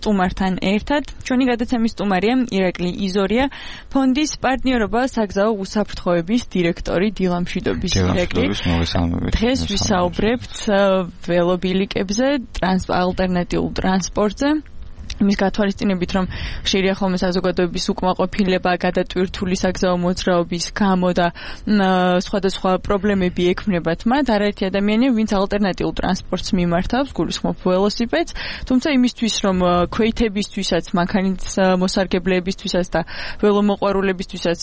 სტუმართან ერთად. ჩვენი გადაცემის სტუმარია ირაკლი იზორია, ფონდის პარტნიორობა საგზაო უსაფრთხოების დირექტორი დილამშვიდობის ირაკლი. დღეს ვისაუბრებთ ველობილიკებზე, ალტერნატიულ ტრანსპორტზე. იმის გათვალისწინებით, რომ ხშირია ხოლმე საზოგადოების უკმაყოფილება გადატვირთული საგზაო მოძრაობის გამო და სხვადასხვა პრობლემები ექმნებათ მათ, არაერთი ადამიანი, ვინც ალტერნატიულ ტრანსპორტს მიმართავს, გულისხმობ ველოსიპედს, თუმცა იმისთვის, რომ ქვეითებისთვისაც, მანქანის მოსარგებლეებისთვისაც და ველომოყვარულებისთვისაც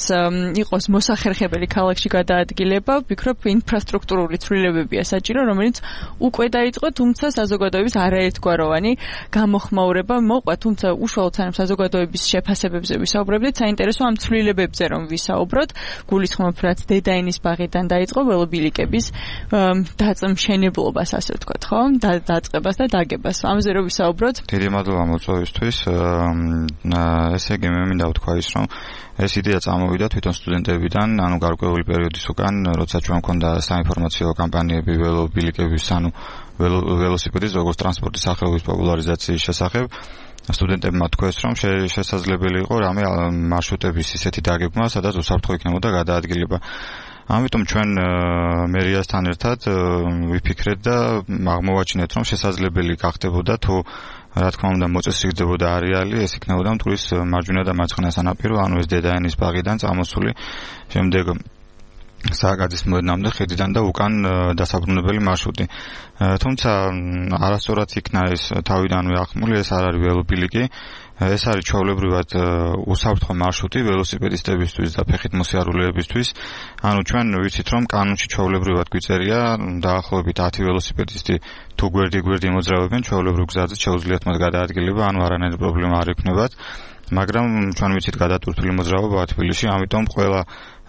იყოს მოსახერხებელი ქალაქში გადაადგილება, ვფიქრობ, ინფრასტრუქტურული ცვლილებებია საჭირო, რომელიც უკვე დაიწყო, თუმცა საზოგადოების არაერთგვაროვანი გამოხმაურება თუმცა უშუალოდ სანამ საზოგადოების შეფასებებზე ვისაუბრებდით, საინტერესო ამ ცვლილებებზე რომ ვისაუბროთ, გულისხმობ, რაც დედაენის ბაღიდან დაიწყო ველობილიკების დაწმშენებლობას, ასე ვთქვათ, ხო? დაწყებას და დაგებას. ამაზე რომ ვისაუბროთ. დიდი მადლობა მოწვევისთვის. ესე იგი, მე მინდა ვთქვა ის, რომ ეს იდეა წამოვიდა თვითონ სტუდენტებიდან, ანუ გარკვეული პერიოდის უკან, როცა ჩვენ მქონდა საინფორმაციო კამპანიები ველობილიკების, ანუ ველოსიპედის როგორც ტრანსპორტის სახეობის პოპულარიზაციის შესახებ. სტუდენტებმა თქვეს, რომ შესაძლებელი იყო რამე მარშრუტების ისეთი დაგეგმა, სადაც უსაფრთხო იქნებოდა გადაადგილება. ამიტომ ჩვენ მერიასთან ერთად ვიფიქრეთ და აღმოვაჩინეთ, რომ შესაძლებელი გახდებოდა თუ რა თქმა უნდა მოწესრიგდებოდა არეალი, ეს იქნებოდა მტკვრის მარჯვენა და მარცხენა სანაპირო, ანუ ეს დედაენის ბაღიდან წამოსული, შემდეგ სააკაძის მოედნამდე ხიდიდან და უკან დასაბრუნებელი მარშრუტი. თუმცა არასწორად იქნა ეს თავიდანვე ახმული, ეს არ არის ველობილიკი, ეს არის ჩვეულებრივად უსაფრთხო მარშრუტი ველოსიპედისტებისთვის და ფეხით მოსიარულეებისთვის. ანუ ჩვენ ვიცით, რომ კანონში ჩვეულებრივად გვიწერია დაახლოებით 10 ველოსიპედისტი თუ გვერდი მოძრაობენ ჩვეულებრივ გზაზე შეუძლიათ მათ გადაადგილება, ანუ არანაირი პრობლემა არ ექნებათ. მაგრამ ჩვენ ვიცით გადატვირთული მოძრაობა თბილისში, ამიტომ ყველა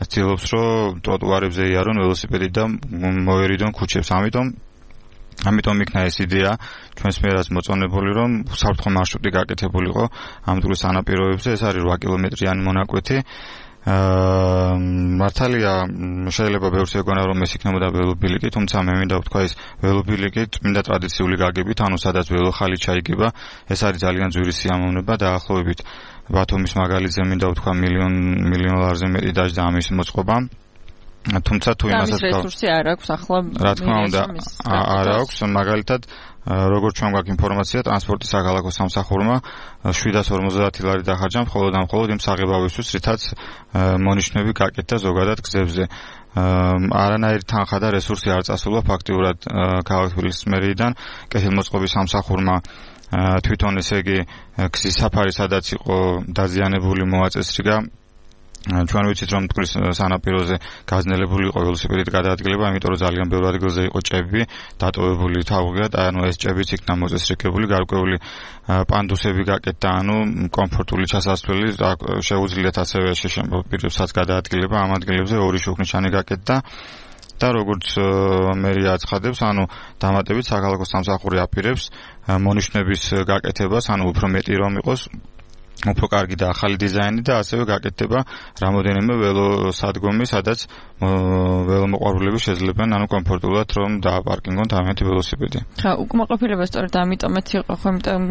ცდილობს, რომ ტროტუარებზე იარონ ველოსიპედი და მოერიდონ ქუჩებს. ამიტომ იქნა ეს იდეა ჩვენს მიერაც მოწონებული, რომ უსაფრთხო მარშრუტი გაკეთებულიყო ამ მტკვრის სანაპიროებზე. ეს არის 8 კილომეტრიანი მონაკვეთი. მართალია შეიძლება ბევრს ეგონა, რომ ეს იქნებოდა ველობილიკი, თუმცა მე მინდა ვთქვა, ეს ველობილიკი წმინდა ტრადიციული გაგებით, ანუ სადაც ველოხალი ჩაიგება, ეს არის ძალიან ძვირი სიამოვნება, დაახლოებით ბათუმის მაგალითზე მინდა ვთქვა მილიონ ლარზე მეტი დაჯდა ამის მოწყობა. თუმცა თუ იმასაც რესურსი არ აქვს ახლა, რა თქმა უნდა არ აქვს, მაგალითად როგორც ჩვენ გვაქვს ინფორმაცია, ტრანსპორტის საქალაქო სამსახურმა 750 ლარი დახარჯა მხოლოდ იმ საღებავისთვის, რითაც მონიშნები გაკეთდა ზოგადად გზებზე. არანაირი თანხა და რესურსი არ წასულა ფაქტიურად ქალაქ თბილისის მერიიდან, კეთილმოწყობის სამსახურმა თვითონ ესე იგი გზის საფარი სადაც იყო დაზიანებული მოაწესრიგა. ჩვენ ვიცით, რომ მტკვრის სანაპიროზე გაძნელებული იყო ველოსიპედით გადაადგილება, იმიტომ რომ ძალიან ბევრ ადგილზე იყო ჭები დატოვებული თავგად, ანუ ეს ჭებიც იქნა მოწესრიგებული, გარკვეული პანდუსები გაკეთდა, ანუ კომფორტული ჩასასვლელი შეუძლიათ ასევე პირებსაც გადაადგილება, ამ ადგილებზე ორი შუქნიშანი გაკეთდა. და როგორც მერია აცხადებს, ანუ დამატებით საქალაქო სამსახური აპირებს მონიშნების გაკეთებას, ანუ უფრო მეტი რომ იყოს, უფრო კარგი და ახალი დიზაინი და ასევე გაკეთდება რამოდენიმე ველოსადგომი, სადაც ველომოყვარულები შეძლებენ, ანუ კომფორტულად რომ დააპარკინგონ თავიანთი ველოსიპედი. ხა, უკმაყოფილება სწორედ ამიტომაც იყო,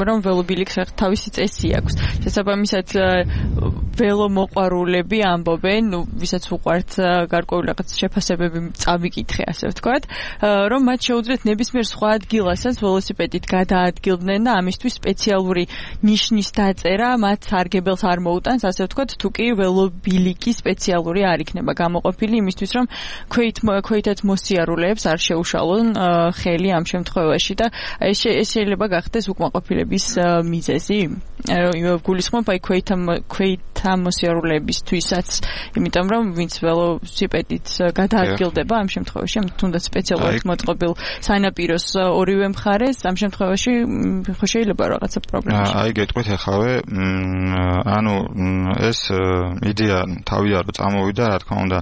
რომ ველობილიკს თავისი წესი აქვს. შესაბამისად ველომოყვარულები ამბობენ, ვისაც უყვართ გარკვეული რაღაც შეფასებები წავიკითხე, ასე ვთქვათ, რომ მათ შეუძლიათ ნებისმიერ სხვა ადგილასაც ველოსიპედით გადაადგილდნენ და ამისთვის სპეციალური ნიშნის დაწერა მათ სარგებელს არ მოუტანს, ასე ვთქვათ, თუ კი ველობილიკი სპეციალური არ იქნება გამოყოფილი იმისთვის, რომ ქვეითად მოსიარულეებს არ შეუშალონ ხელი ამ შემთხვევაში და ეს შეიძლება გახდეს უკმაყოფილების მიზეზი. გულისხმობ აი ქვეითა მოსიარულეებისთვისაც, იმიტომ რომ ვინც ველოსიპედით გადაადგილდება ამ შემთხვევაში, თუნდაც სპეციალურად მოწყობილ სანაპიროს ორივე მხარეს, ამ შემთხვევაში შეიძლება რაღაცა პრობლემა. აი გეტყვით ახავე, ანუ ეს იდეა თავიდან რო წამოვიდა, რა თქმა უნდა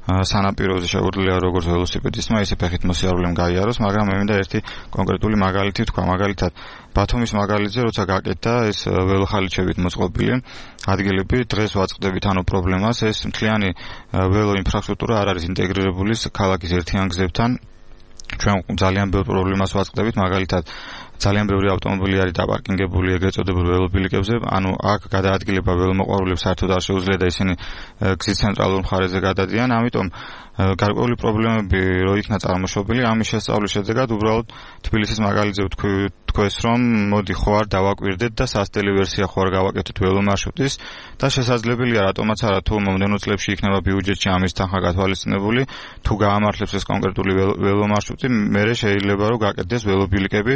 სანაპიროზე შეუძლია როგორც ველოსიპედისტმა, ისე ფეხით მოსიარულემ გაიაროს, მაგრამ მე მინდა ერთი კონკრეტული მაგალითი ვთქვა, მაგალითად ბათუმის მაგალითზე, როცა გაკეთდა ეს ველოხალიჩებით მოწყობილი ადგილები, დღეს ვაწყდებით ანუ პრობლემას, ეს მთლიანი ველო ინფრასტრუქტურა არ არის ინტეგრირებული ქალაქის ერთიან გზებთან. ჩვენ ძალიან ბევრ პრობლემას ვაწყდებით, მაგალითად ძალიან ბევრი ავტომობილი არის დაპარკინგებული ეგრეთ წოდებულ ველობილიკებზე, ანუ აქ გადაადგილება ველომოყვარულებს საერთოდ არ შეუძლია და ისინი გზის ცენტრალურ მხარეზე გადადიან, ამიტომ გარკვეული პრობლემები რო იქნა წარმოშობილი, ამის შესწავლის შედეგად უბრალოდ თბილისის მაგალითზე ვთქვეს, რომ მოდი ხო არ დავაკვირდეთ და სასტელი ვერსია ხო არ გავაკეთეთ ველომარშრუტის და შესაძლებელია რატომაც არა თუ მომდევნო წლებში იქნება ბიუჯეტში ამის თანხა გათვალისწინებული, თუ გაამართლებს ეს კონკრეტული ველომარშრუტი, მერე შეიძლება რომ გაკეთდეს ველობილიკები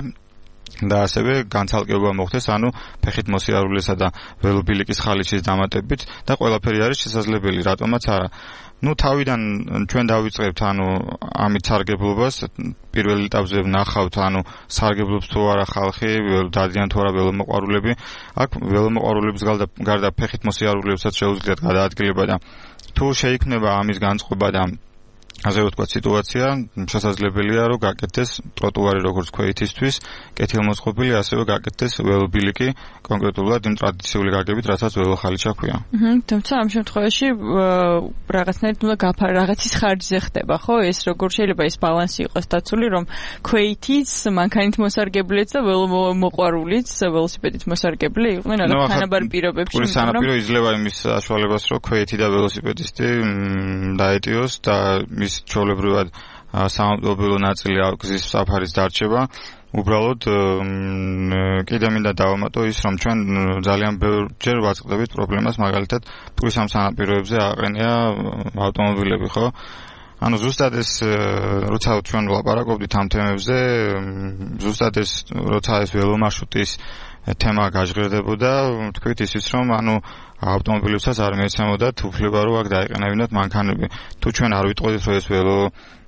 და ასევე განცალკევება მოხდეს, ანუ ფეხით მოსიარულესა და ველობილიკის ხალიჩის დამატებით და ყველაფერი არის შესაძლებელი, რატომაც არა. თავიდან ჩვენ დავიწყებთ, ამით სარგებლობას, პირველ ეტაპზე ვნახავთ, სარგებლობს თუ არა ხალხი, დადიან თუ არა ველომოყვარულები. აქ ველომოყვარულების გარდა ფეხით მოსიარულეებსაც შეუძლიათ გადაადგილება და თუ შეიქმნება ამის განწყობა და ასე ვთქვათ, სიტუაცია შესაძლებელია, რომ გაკეთდეს ტროტუარი როგორც ქვეითისთვის, კეთილმოწყობილი, ასევე გაკეთდეს ველობილიკი კონკრეტულად იმ ტრადიციული გაგებით, რასაც ველოხალიჩა ქვია. თუმცა ამ შემთხვევაში რაღაცნაირად რაღაცის ხარჯზე ხდება, ხო? ეს როგორ შეიძლება ეს ბალანსი იყოს დაცული, რომ ქვეითიც, მანქანით მოსარგებლეც და ველომოყვარულიც, ველოსიპედით მოსარგებლე იყვნენ თანაბარ პირობებში. პურის სანაპირო იძლევა იმის საშუალებას, რომ ქვეითი და ველოსიპედისტი დაეტიოს და ჩვეულებრივად საავტომობილო ნაწილი გზის საფარის დარჩება. უბრალოდ კიდე მინდა დავამატო ის, რომ ჩვენ ძალიან ბევრჯერ ვაწყდებით პრობლემას, მაგალითად პურის ამ სანაპიროებზე აყენია ავტომობილები, ხო? ზუსტად ეს როცა ჩვენ ვლაპარაკობდით ამ თემებზე, ზუსტად ეს როცა ეს ველომარშრუტის თემა გაჟღერდებოდა, თქვით ისიც, რომ ავტომობილებსაც არ მეცემოდათ უფლება, რომ აქ დაეყენებინათ მანქანები. თუ ჩვენ არ ვიტყოდით, რომ ეს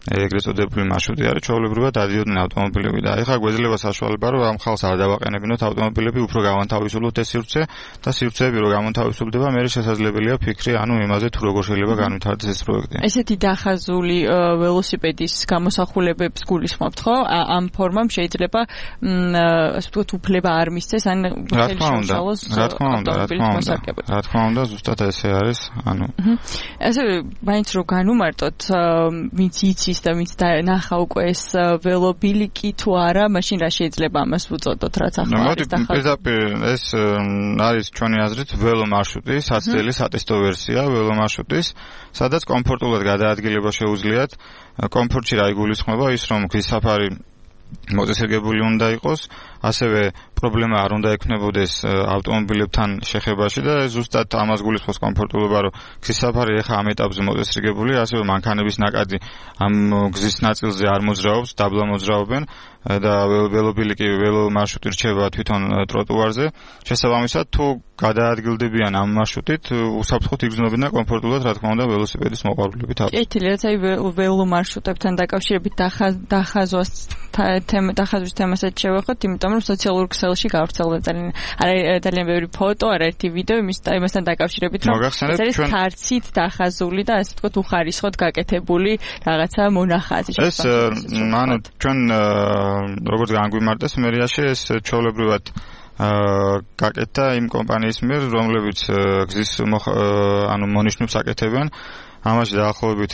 ეგრეთ წოდებული მარშრუტი არის, ჩვეულებრივად დადიოდნენ ავტომობილები და ეხლა გვეძლება საშუალება, რომ ამ ხალხს არ დავაყენებინოთ ავტომობილები, უფრო გავანთავისუფლოთ ეს სივრცე და სივრცეები რო გამონთავისუფლდება, მე შესაძლებელია ფიქრი, იმაზე თუ როგორ შეიძლება განვითარდეს ეს პროექტი. ესეთი დახაზული ველოსიპედის გამოსახულებებს გულისხმობთ, ხო? ამ ფორმამ შეიძლება ასე ვთქვათ, უფლება არ მისცეს, ხელშეუშალოს ავტომობილის რა თქმა უნდა, ზუსტად ესე არის, ასევე მაინც რო განუმარტოთ, ვინც იცის და ვინც ნახა უკვე ეს ველობილიკი თუ არა, მაშინ რა შეიძლება ამას ვუწოდოთ, რაც ახლა არის დახაზული. პირდაპირ ეს არის ჩვენი აზრით ველომარშრუტი, საცდელი სატესტო ვერსია ველომარშრუტის, სადაც კომფორტულად გადაადგილება შეუძლიათ. კომფორტში რა იგულისხმება ის, რომ გზის საფარი მოწესრიგებული უნდა იყოს, ასევე პრობლემა არ უნდა ექნებოდეს ავტომობილებთან შეხებაში და ზუსტად ამას გულისხმობს კომფორტულობა, რომ გზის საფარი ეხა ამ ეტაპზე მოწესრიგებული, ასევე მანქანების ნაკადი ამ გზის ნაწილზე არ მოძრაობს, დაბლა მოძრაობენ და ველობილიკი ველომარშრუტი რჩება თვითონ ტროტუარზე. შესაბამისად, თუ გადაადგილდებიან ამ მარშრუტით, უსაფრთხოდ იგრძნობიან კომფორტულად, რა თქმა უნდა, ველოსიპედის მოყვარულები თავის. კეთილია, ველომარშრუტებთან დაკავშირებით დახაზვის თემასაც შევეხოთ, იმიტომ რომ სოციალურ ქსელში გავრცელდა ძალიან ბევრი ფოტო, არაერთი ვიდეო იმასთან დაკავშირებით, რომ ეს არის ქარცით დახაზული და ასე ვთქვათ, უხარისხოდ გაკეთებული რაღაცა მონახაზი. ეს ჩვენ როგორც განგვიმარტეს მერიაში, ეს ჩვეულებრივად გაკეთდა იმ კომპანიის მიერ, რომლებიც გზის მონიშნებს აკეთებენ. ამაში დაახლოებით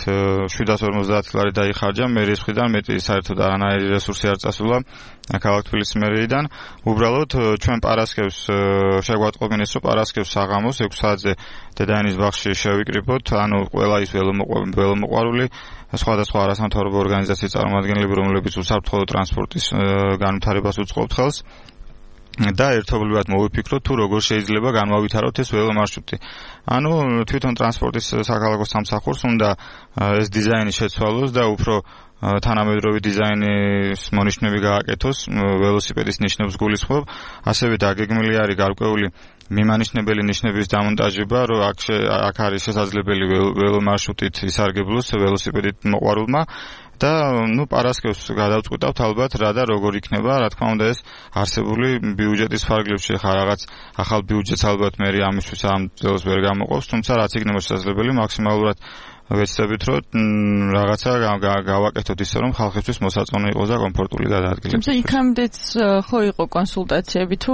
750 ლარი დაიხარჯა, მერიის მხრიდან მეტი საერთოდ არანაირი რესურსი არ წასულა ქალაქ თბილისის მერიიდან. უბრალოდ ჩვენ პარასკევს შეგვატყობინეს, რომ პარასკევს საღამოს 6 საათზე დედაენის ბაღში შევიკრიბოთ, ყველა ის ველომოყვარული, სხვადასხვა არასამთავრობო ორგანიზაციის წარმომადგენლები, რომლებიც უსაფრთხო ტრანსპორტის განვითარებას უწყობთ ხელს. და ერთობლივად მოვიფიქროთ, თუ როგორ შეიძლება განმავითაროთ ეს ველომარშრუტი. თვითონ ტრანსპორტის საქალაქო სამსახურს უნდა ეს დიზაინი შეცვალოს და უფრო თანამედროვე დიზაინის მონიშნები გააკეთოს, ველოსიპედის ნიშნებს გულისხმობ, ასევე დაგეგმილი არის გარკვეული მიმანიშნებელი ნიშნების დამონტაჟება, რომ აქ არის შესაძლებელი ველომარშრუტით ისარგებლოს ველოსიპედით მოყვარულმა. და პარასკევს გადავწყვიტავთ ალბათ რა და როგორ იქნება, რა თქმა უნდა ეს არსებული ბიუჯეტის ფარგლებში ხარ რაღაც ახალ ბიუჯეტს ალბათ მე ამისთვის ამ წელს ვერ გამოყოფს, თუმცა რაც იქნება შესაძლებელი მაქსიმალურად ვეცდებით, რომ რაღაცა გავაკეთოთ ისე, რომ ხალხისთვის მოსაწონი იყოს და კომფორტული გადაადგილება. თუმცა იქამდეც ხო იყო კონსულტაციები თუ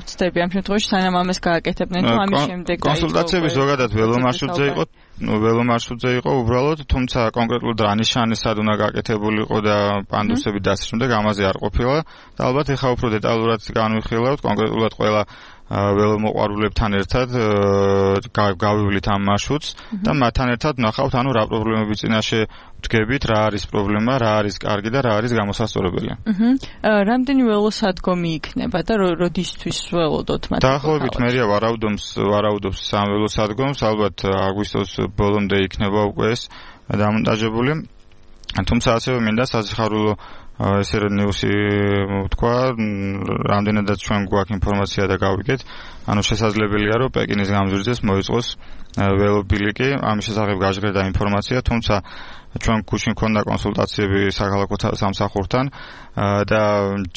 ვწდები ამ შემთხვევაში სანამ ამას გააკეთებდნენ თუ ამის შემდეგ კონსულტაციები ზოგადად ველომარშრუტზე იყო ველომარშრუტზე იყო უბრალოდ, თუმცა კონკრეტულად რა ნიშანი სად უნდა გაკეთებულიყო და პანდუსები და ასე შემდეგ ამაზე არ ყოფილა და ალბათ ეხლა უფრო დეტალურად განვიხილავთ კონკრეტულად ყველა ველომოყვარულებთან ერთად გავივლით ამ მარშრუტს და მათთან ერთად ნახავთ ანუ რა პრობლემები წინაშე ვდგებით, რა არის პრობლემა, რა არის კარგი და რა არის გამოსასწორებელი. რამდენი ველოსადგომი იქნება და როდისთვის ველოდოთ მათ? დაახლოებით მერია ვარაუდობს 3 ველოსადგომს, ალბათ აგვისტოს ბოლომდე იქნება უკვე ეს დამონტაჟებული. თუმცა ასევე მინდა საზიხარულო ესე ნიუსი თქვა, რამდენადაც ჩვენ გვაქვს ინფორმაცია და გავიგეთ, ანუ შესაძლებელია რომ პეკინის გამზირზეს მოიწყოს ველობილიკი, ამის შესახებ გაჟღერდა ინფორმაცია, თუმცა ჩვენ გუშინ მქონდა კონსულტაციები საქალაქო სამსახურთან და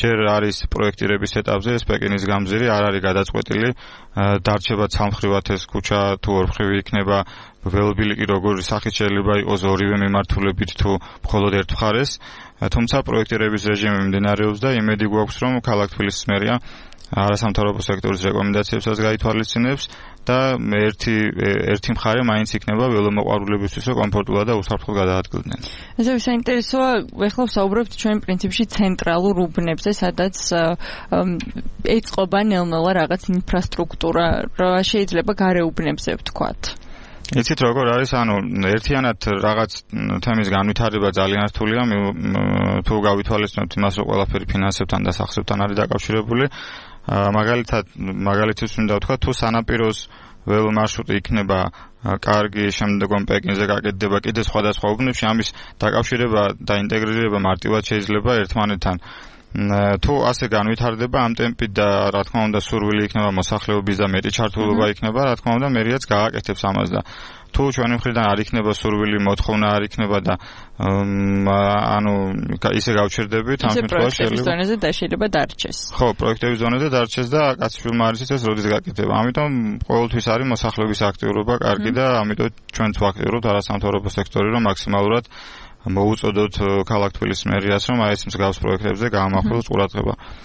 ჯერ არის პროექტირების ეტაპზე ეს პეკინის გამზირი არ არის გადაწყვეტილი, დარჩება ცალმხრივად ეს ქუჩა თუ ორმხრივი იქნება, ველობილიკი როგორი სახით შეიძლება იყოს ორივე მიმართულებით თუ მხოლოდ ერთ მხარეს, თუმცა პროექტირების რეჟიმი მიმდინარეობს და იმედი გვაქვს რომ ქალაქ თბილისის მერია არასამთავრობო სექტორის რეკომენდაციებსაც გაითვალისწინებს და ერთი მხარე მაინც იქნება ველომოყვარულებისთვის კომფორტულად და უსაფრთხოდ გადაადგილდნენ. ესე საინტერესოა, ეხლა ვსაუბრობთ ჩვენ პრინციპში ცენტრალურ უბნებზე, სადაც ეწყობა ნელ-ნელა რაღაც ინფრასტრუქტურა, რა შეიძლება გარეუბნებზე ვთქვათ. იცით როგორ არის, ანუ ერთიანად რაღაც თემის განვითარება ძალიან რთულია, თუ გავითვალისწინებთ იმას, რომ ყველაფერი ფინანსებთან და სახსრებთან არის დაკავშირებული. მაგალითად მინდა ვთქვა, თუ სანაპიროს ველომარშრუტი იქნება კარგი, შემდგომ პეკინზე გაკეთდება კიდე სხვადასხვა უბნებში, ამის დაკავშირება და ინტეგრირება მარტივად შეიძლება ერთმანეთთან. თუ ასე განვითარდება ამ ტემპით და რა თქმა უნდა სურვილი იქნება მოსახლეობის და მეტი ჩართულობა იქნება, რა თქმა უნდა მერიაც გააკეთებს ამას და თუ ჩვენი მხრიდან არ იქნება სურვილი, მოთხოვნა არ იქნება და ანუ ისე გავჩერდებით, ამ შემთხვევაში შეიძლება დარჩეს. ხო, პროექტების ზონაზე დარჩეს და კაცშვილმა არის ეს როდის გაკეთება. ამიტომ ყოველთვის არის მოსახლეობის აქტიურობა კარგი და ამიტომ ჩვენც ვაქტიურობთ არასამთავრობო სექტორი, რომ მაქსიმალურად მოუწოდოთ ქალაქ თბილისის მერიას, რომ აი ეს მსგავს პროექტებზე გაამახვილოს ყურადღება.